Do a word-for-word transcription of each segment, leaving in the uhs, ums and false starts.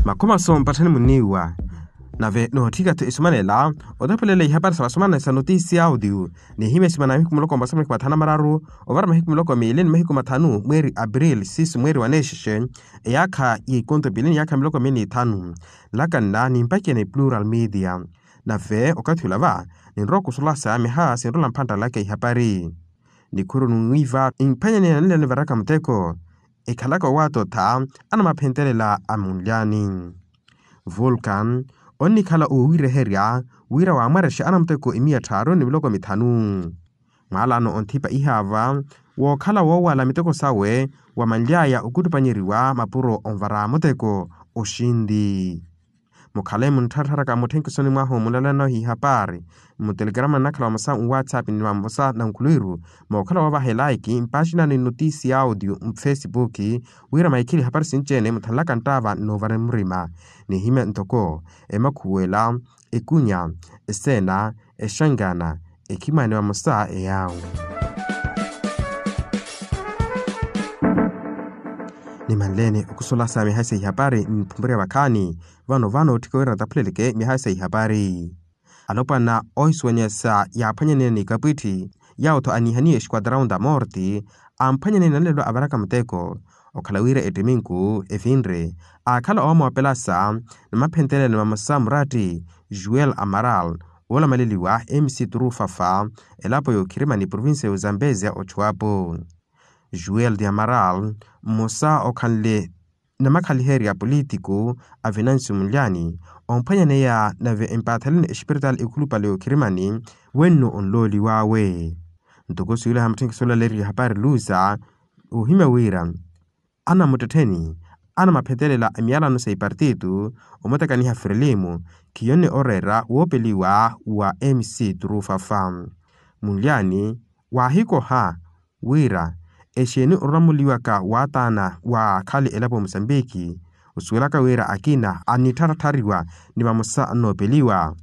Makhomaso mpatthani muniiwa. Nave nootthika-tho isumanela otepelela ihapari sa vasumana sa notisi ya audio, nihimya esimana ya mahiku muloko mmosa mahiku mathanu na mararu ovara mahiku muloko miili ni mahiku mathanu mweeri april sisu mweeri wa nexexe, eyaakha ya ikonto piili ni yaakha miloko miili ni ithanu. Nlakanna nimpaceya ni plural media. Nave okathi olava ninrowa okusulasa miha sinrola mphantta laka ihapari. Nikhuru numwiiva imphwanyaneya nanlelo nivaraka muteko, ekhalaka owaatotha anamaphentelela a munlyani. Vulcan onnikhala oowireherya wira waamwarexe anamuteko emiya tthaaru ni miloko mithanu. Mwaalano onthipa ihaava wookhala woowala miteko sawe wamanly'aya okuttupanyeriwa mapuro onvara muteko oxinti. Mukhale munttharattharaka mutthenke osoni mwahu munlalano hihapari mutelegrama nnakhala vamosa nwatsapp ni vamosa na nkhuluwiru mookhala woovaha elaiki mpaxina ni notisi ya audio mufesipuki, wira maikhili hapari sinci-ene muthanlaka nttaava nnoovara murima. Nihimya ntoko emakhuwela, ekunya, eseena, exangana, ekhimani vamosa eyawu. Nimanleene okusulasa mihayi sa ihapari mphumpurya vakhaani. Vano vano otthika wira nataphuleleke mihayi sa ihapari. Alopwana oohisuwanyasa yaaphwanyaneya ni kapwitthi, yawo-tho aniihaniye esquadraun da morte, amphwanyaneya nanlelo avaraka muteko. Okhala wira ettiminku evinre aakhala oomoopelasa namaphentelela ni vamosa muratti, juel amaral, oolamaleliwa mc trufafa, elapo y'okhirimani provincia y'ozambezia ochuwapo. Juel de amaral, mmosa okhanle namakhaliherya politiku a venancio munlyani, omphwanyaneya nave empaatheleni exipiritaali ekhulupale y'okhirimani, wenno onlooliw'awe. Ntoko suweliha mutthenkisi olaleeriwa hapari lusa, oohimya wira anamuttettheni anamaphetelela emiyalano sa ipartitu omutakaniha frelimo, khiyonne oreera woopeliwa wa mc trufafa. Munlyani waahikoha wira exeeni orulamuliwaka waataana waakhale elapo ya musambiki, osuwelaka wira akina anittharattariwa ni vamosa annoopeliwa.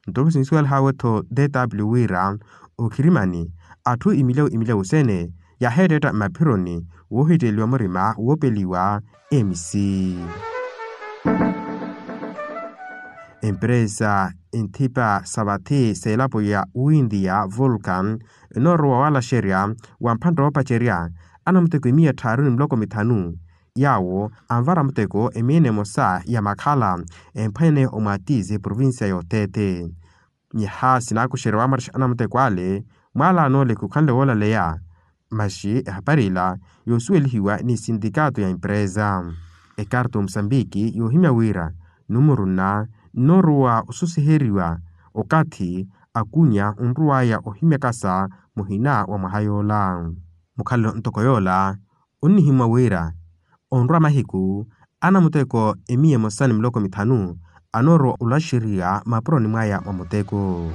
Ntoko sinsuwelih'awe-tho dw wira okhirimani atthu imilyawu imilyawu sene yaheettetta mmaphironi woohitteeliwa murima woopeliwa mc. Empresa enthipa sa vathi s'elapo ya windiya vulcan enoorowa walaxerya wa mphantta oopacerya anamuteko emiya tthaaru ni miloko mithanu, yawo anvara muteko emiya emosa ya makhala emphwanyaneya omwatizi eprovincia y'othete. Nyaha sinaakuxerya waamwarexa anamuteko ale mwaalaan'ole khukhanle woolaleya. Maxi ehapari ila yoosuwelihiwa ni sintikato ya empresa. Ekarta omusambiki yoohimya wira numuruna nnoorowa osusiheriwa okathi akunya onrow'aya ohimyakasa muhina wa mwaha yoola. Mukhalelo ntoko yoola onnihimwa wira onrwa mahiku anamuteko emiya emosa ni miloko mithanu anoorowa olaxeriwa mapuroni mwaya mwa muteko.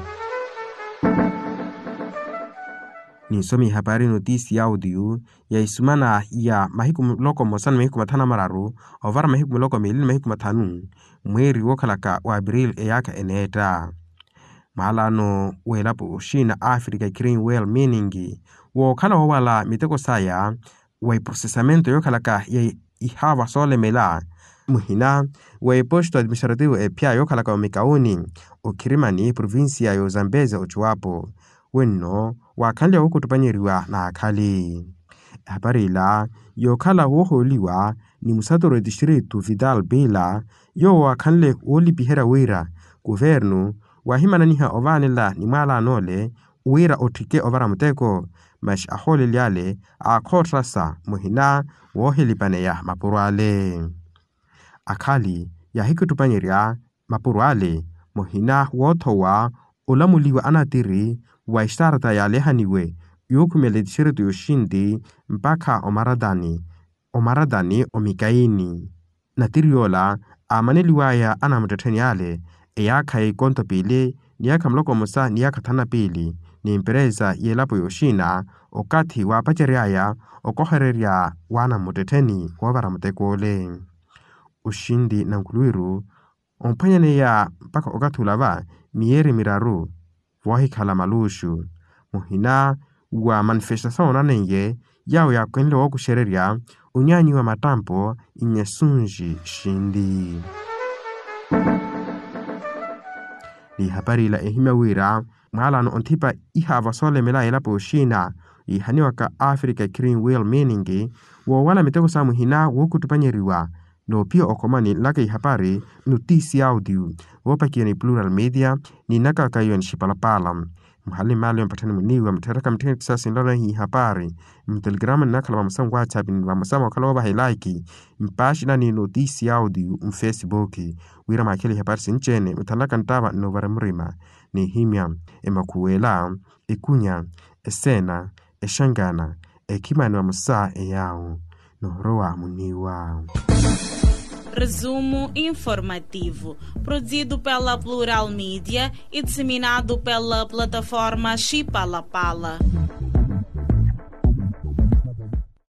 Ninsome ihapari notisi ya audio ya isumana ya mahiku muloko mmosa ni mahiku mathanu na mararu ovara mahiku muloko miili ni mahiku mathanu mweeri wookhalaka wa april eyaakha eneetta. Maalano w'elapo oxina africa green well meaning wookhala woowala miteko saya wa iprosesamento yookhalaka ya ihaava soolemela muhina wa eposto administrativo ephya yookhalaka omikauni okhirimani provincia y'ozambezia ochuwapo wenno waakhanle wookuttupanyeriwa n'akhali. Ehapari ila yookhala woohooliwa ni musaturu etistritu vital bila yoowo waakhanle woolipiherya wira kuvernu waahimananiha ovaanela ni mwaalaan'ole wira otthike ovara muteko. Masi ahooleli ale aakhoottasa muhina woohilipaneya mapuro ale. Akhali yaahikuttupanyerya mapuro ale muhina woothowa olamuliwa anatiri wa estarta yaalehaniwe yookhumela etixireto y'oxinti mpakha omaratani omaratani omikaini. Natiri yoola aamaneliw'aya anamuttettheni ale eyaakha ya ikonto piili ni yaakha muloko mmosa ni yaakha thanu na piili ni emperesa y'elapo y'oxina okathi waapacery'aya okohererya w'anamuttettheni woovara muteko ole. Oxinti nankhuluwiru omphwanyaneya mpakha okathi olava miyeeri miraru voohikhala maluxu muhina wa manifestasawu onaneiye yaawo yaakenle wookuxererya onyaanyiwa mattampo inyasunxi xinti. Ni hapari ila ehimya wira mwaalano onthipa ihaava soolemela elapo oxiina, iihaniwaka africa green will meaning woowala miteko sa muhina wookuttupanyeriwa. Noophiya okhomani nlaka ihapari notisi audio woopakiwa ni plural media ni nnakaka iwe nixipalapala. Muhali mmaali yo mpatthani muniiwa muttheeraka muttheni kisasi nlano ehi ihapari mutelegrama nnakhala vamosa nwatsapp ni vamosa mookhala woovaha elaiki mpaaxina ni notisi audio mfesibuki wira mwaakhele ihapari sinci-ene muthanlaka nttaava nnoovara murima. N'ihimya emakhuwela ekunya eseena exangana ekhimani vamosa eyaawo noorowa muniiwa. Resumo informativo, produzido pela plural media e disseminado pela plataforma xipalapala.